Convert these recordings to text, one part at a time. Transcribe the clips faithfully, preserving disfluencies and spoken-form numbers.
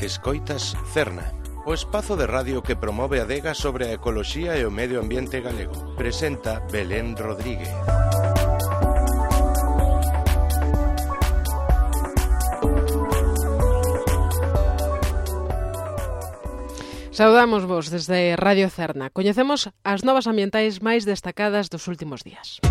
Escoitas Cerna, o espazo de radio que promove a adega sobre a ecoloxía e o medio ambiente galego. Presenta Belén Rodríguez. Saudamos vos desde Radio Cerna. Coñecemos as novas ambientais máis destacadas dos últimos días.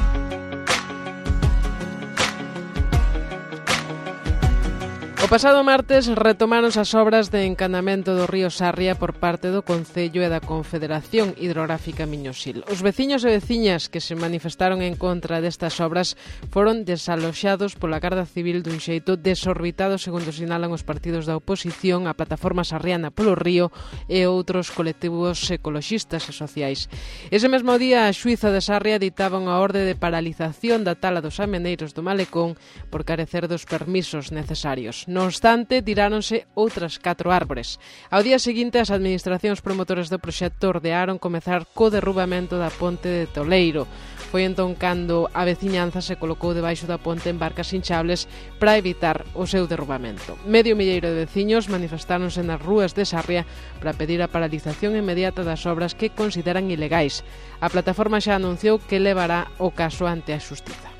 O pasado martes retomáronse as obras de encanamento do río Sarria por parte do Concello e da Confederación Hidrográfica Miñosil. Os veciños e veciñas que se manifestaron en contra destas obras foron desaloxados pola Garda Civil dun xeito desorbitado, segundo sinalan os partidos da oposición, a Plataforma Sarriana polo Río e outros colectivos ecoloxistas e sociais. Ese mesmo día, a xuíza de Sarria ditaba unha orde de paralización da tala dos ameneiros do Malecón por carecer dos permisos necesarios. Non obstante, tiráronse outras catro árbores. Ao día seguinte, as administracións promotoras do proxecto ordearon comezar co derrubamento da ponte de Toleiro. Foi entón cando a veciñanza se colocou debaixo da ponte en barcas hinchables para evitar o seu derrubamento. Medio milleiro de veciños manifestáronse nas rúas de Sarria para pedir a paralización inmediata das obras que consideran ilegais. A plataforma xa anunciou que levará o caso ante a xustiza.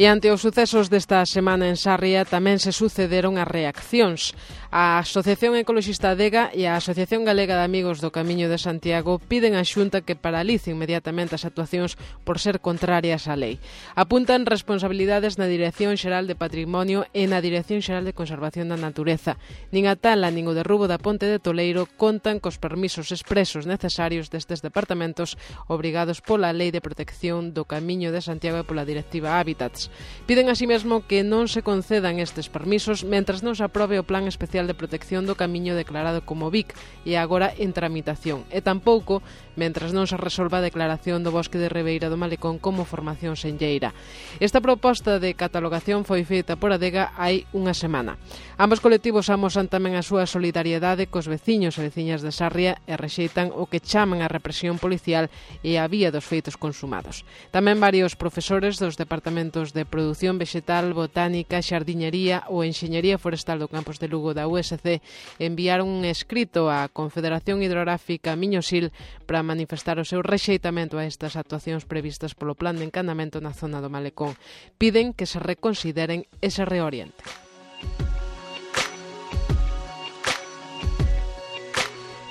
E ante os sucesos desta semana en Sarria tamén se sucederon as reaccións. A Asociación Ecoloxista Adega e a Asociación Galega de Amigos do Camiño de Santiago piden á Xunta que paralice inmediatamente as actuacións por ser contrarias á lei. Apuntan responsabilidades na Dirección Xeral de Patrimonio e na Dirección Xeral de Conservación da Natureza. Nin a tala nin o derrubo da ponte de Toleiro contan cos permisos expresos necesarios destes departamentos obrigados pola Lei de Protección do Camiño de Santiago e pola Directiva Hábitats. Piden así mesmo que non se concedan estes permisos mentras non se aprobe o Plan Especial de Protección do Camiño declarado como V I C e agora en tramitación, e tampouco mentras non se resolva a declaración do Bosque de Ribeira do Malecón como formación senlleira. Esta proposta de catalogación foi feita por Adega hai unha semana. Ambos colectivos amosan tamén a súa solidariedade cos veciños e veciñas de Sarria e rexeitan o que chaman a represión policial e a vía dos feitos consumados. Tamén varios profesores dos departamentos de Produción Vegetal, Botánica, Xardiñería ou Enxeñería Forestal do campus de Lugo da U S C enviaron un escrito á Confederación Hidrográfica Miñosil para manifestar o seu rexeitamento a estas actuacións previstas polo Plan de Encanamento na zona do Malecón. Piden que se reconsideren e se reorienten.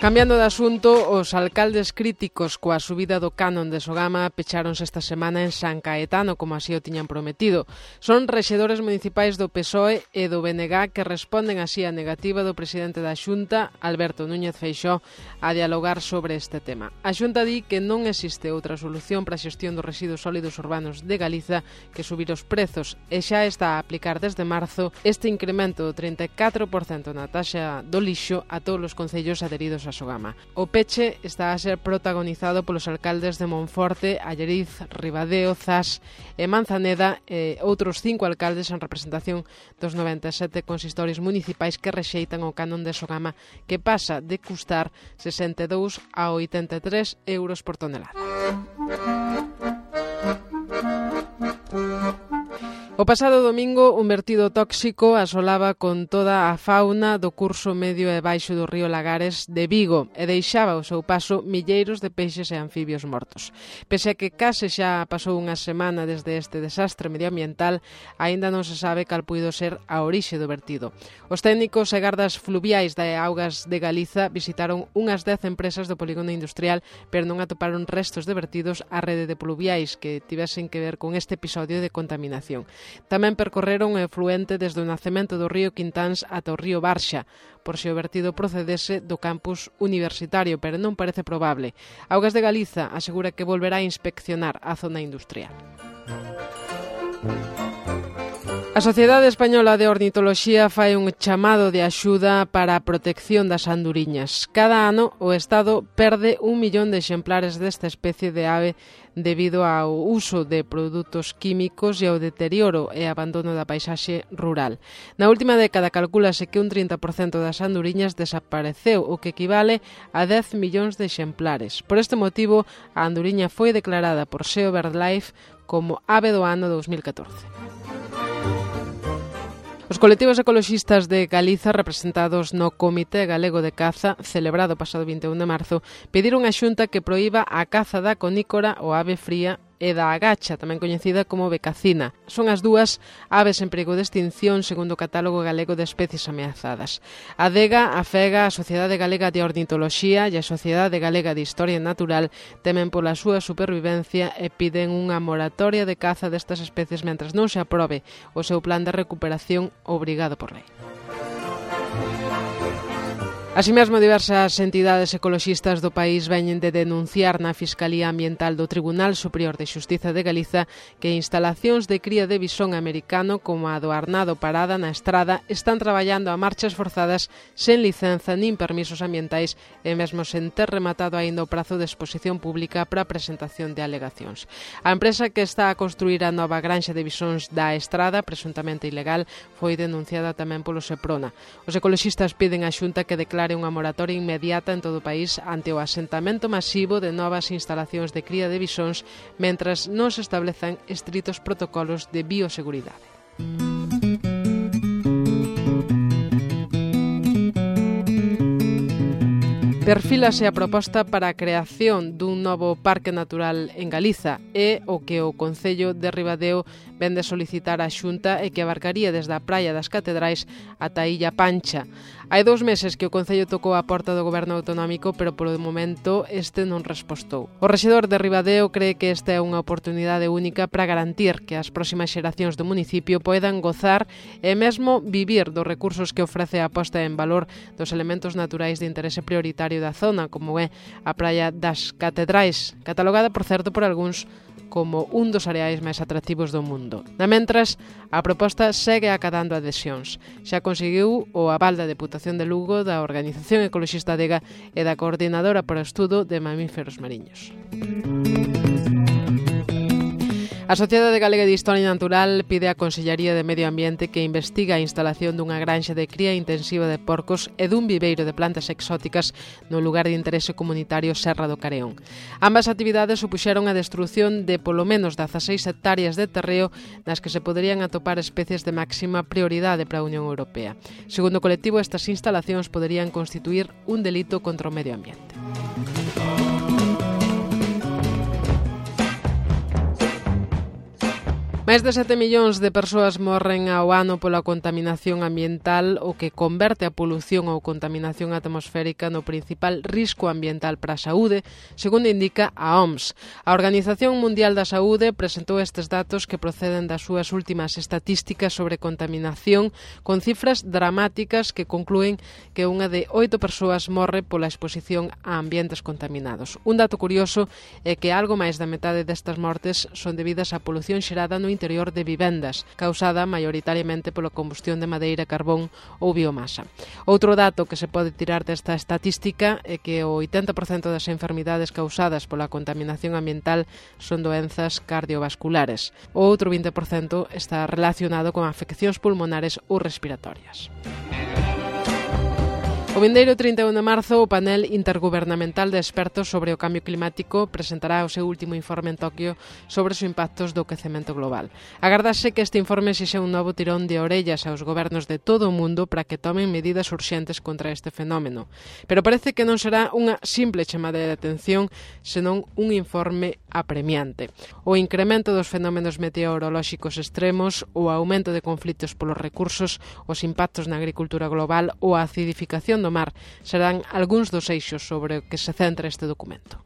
Cambiando de asunto, os alcaldes críticos coa subida do canon de Sogama pecháronse esta semana en San Caetano, como así o tiñan prometido. Son rexedores municipais do P S O E e do B N G que responden así á negativa do presidente da Xunta, Alberto Núñez Feixóo, a dialogar sobre este tema. A Xunta di que non existe outra solución para a xestión dos residuos sólidos urbanos de Galiza que subir os prezos e xa está a aplicar desde marzo este incremento do trinta e catro por cento na taxa do lixo a todos os concellos adheridos a Sogama. O peche está a ser protagonizado polos alcaldes de Monforte, Alleriz, Ribadeo, Zas e Manzaneda e outros cinco alcaldes en representación dos noventa e sete consistorios municipais que rexeitan o canon de Sogama, que pasa de custar sesenta e dous a oitenta e tres euros por tonelada. O pasado domingo, un vertido tóxico asolaba con toda a fauna do curso medio e baixo do río Lagares de Vigo e deixaba ao seu paso milleiros de peixes e anfibios mortos. Pese a que case xa pasou unha semana desde este desastre medioambiental, aínda non se sabe cal puido ser a orixe do vertido. Os técnicos e gardas fluviais de Augas de Galiza visitaron unhas dez empresas do polígono industrial, pero non atoparon restos de vertidos á rede de pluviais que tivesen que ver con este episodio de contaminación. Tamén percorreron o efluente desde o nacemento do río Quintáns ata o río Barxa, por se o vertido procedese do campus universitario, pero non parece probable. Augas de Galiza asegura que volverá a inspeccionar a zona industrial. A Sociedade Española de Ornitoloxía fai un chamado de axuda para a protección das anduriñas. Cada ano o Estado perde un millón de exemplares desta especie de ave debido ao uso de produtos químicos e ao deterioro e abandono da paisaxe rural. Na última década calcúlase que un trinta por cento das anduriñas desapareceu, o que equivale a dez millóns de exemplares. Por este motivo, a anduriña foi declarada por Seo BirdLife como ave do ano dous mil catorce. Os colectivos ecoloxistas de Galiza, representados no Comité Galego de Caza, celebrado pasado vinte e un de marzo, pediron á Xunta que proíba a caza da conícora ou ave fría e da agacha, tamén coñecida como becacina. Son as dúas aves en perigo de extinción segundo o Catálogo Galego de Especies Ameazadas. A Adega, a FEGA, a Sociedade Galega de Ornitoloxía e a Sociedade Galega de Historia Natural temen pola súa supervivencia e piden unha moratoria de caza destas especies mentras non se aprobe o seu plan de recuperación obrigado por lei. Así mesmo, diversas entidades ecoloxistas do país veñen de denunciar na Fiscalía Ambiental do Tribunal Superior de Xustiza de Galiza que instalacións de cría de bisón americano como a do Arnado Parada na Estrada están traballando a marchas forzadas sen licenza nin permisos ambientais e mesmo sen ter rematado aínda o prazo de exposición pública para a presentación de alegacións. A empresa que está a construir a nova granxa de bisóns da Estrada, presuntamente ilegal, foi denunciada tamén polo Seprona. Os ecoloxistas piden á Xunta que declare unha moratoria inmediata en todo o país ante o asentamento masivo de novas instalacións de cría de bisóns mentras non se establezan estritos protocolos de bioseguridade. Perfílase a proposta para a creación dun novo parque natural en Galiza e o que o Concello de Ribadeo vende solicitar á Xunta e que abarcaría desde a Praia das Catedrais ata a Illa Pancha. Hai dous meses que o Concello tocou a porta do Goberno Autonómico, pero polo momento este non respostou. O rexedor de Ribadeo cree que esta é unha oportunidade única para garantir que as próximas xeracións do municipio poidan gozar e mesmo vivir dos recursos que ofrece a posta en valor dos elementos naturais de interese prioritario da zona, como é a Praia das Catedrais, catalogada, por certo, por algúns como un dos areais máis atractivos do mundo. Na mentras, a proposta segue acadando adhesións. Xa conseguiu o aval da Deputación de Lugo, da Organización Ecoloxista Adega e da Coordinadora para o Estudo de Mamíferos Mariños. A Sociedade Galega de Historia Natural pide á Consellería de Medio Ambiente que investiga a instalación dunha granxa de cría intensiva de porcos e dun viveiro de plantas exóticas no lugar de interese comunitario Serra do Careón. Ambas actividades supuxeron a destrución de polo menos dezaseis hectáreas de terreo nas que se poderían atopar especies de máxima prioridade para a Unión Europea. Segundo o colectivo, estas instalacións poderían constituir un delito contra o medio ambiente. Máis de sete millóns de persoas morren ao ano pola contaminación ambiental, o que converte a polución ou contaminación atmosférica no principal risco ambiental para a saúde, segundo indica a O M S. A Organización Mundial da Saúde presentou estes datos que proceden das súas últimas estatísticas sobre contaminación, con cifras dramáticas que conclúen que unha de oito persoas morre pola exposición a ambientes contaminados. Un dato curioso é que algo máis da metade destas mortes son debidas á polución xerada no interior de vivendas, causada maioritariamente pola combustión de madeira, carbón ou biomasa. Outro dato que se pode tirar desta estatística é que o oitenta por cento das enfermidades causadas pola contaminación ambiental son doenzas cardiovasculares. O outro vinte por cento está relacionado con afeccións pulmonares ou respiratorias. O vindeiro trinta e un de marzo, o panel intergubernamental de expertos sobre o cambio climático presentará o seu último informe en Toquio sobre os impactos do aquecemento global. Agardase que este informe sexa un novo tirón de orellas aos gobernos de todo o mundo para que tomen medidas urxentes contra este fenómeno. Pero parece que non será unha simple chamada de atención, senón un informe apremiante. O incremento dos fenómenos meteorolóxicos extremos, o aumento de conflitos polos recursos, os impactos na agricultura global ou a acidificación do mar serán algúns dos eixos sobre o que se centra este documento.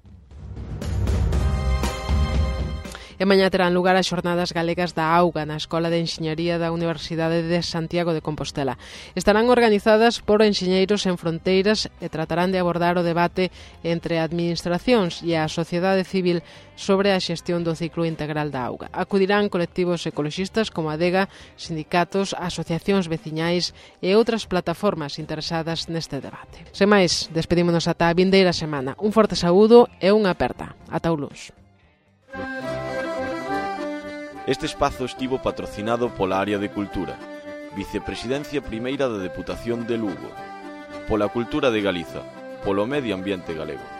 E mañá terán lugar as Xornadas Galegas da Auga na Escola de Enxeñaría da Universidade de Santiago de Compostela. Estarán organizadas por Enxeñeiros Sen Fronteiras e tratarán de abordar o debate entre administracións e a sociedade civil sobre a xestión do ciclo integral da auga. Acudirán colectivos ecoloxistas como a Adega, sindicatos, asociacións veciñais e outras plataformas interesadas neste debate. Sen máis, despedímonos ata a vindeira semana. Un forte saúdo e unha aperta. Ata o luns. Este espazo estivo patrocinado pola Área de Cultura, Vicepresidencia Primeira da Deputación de Lugo, pola Cultura de Galiza, polo Medio Ambiente Galego.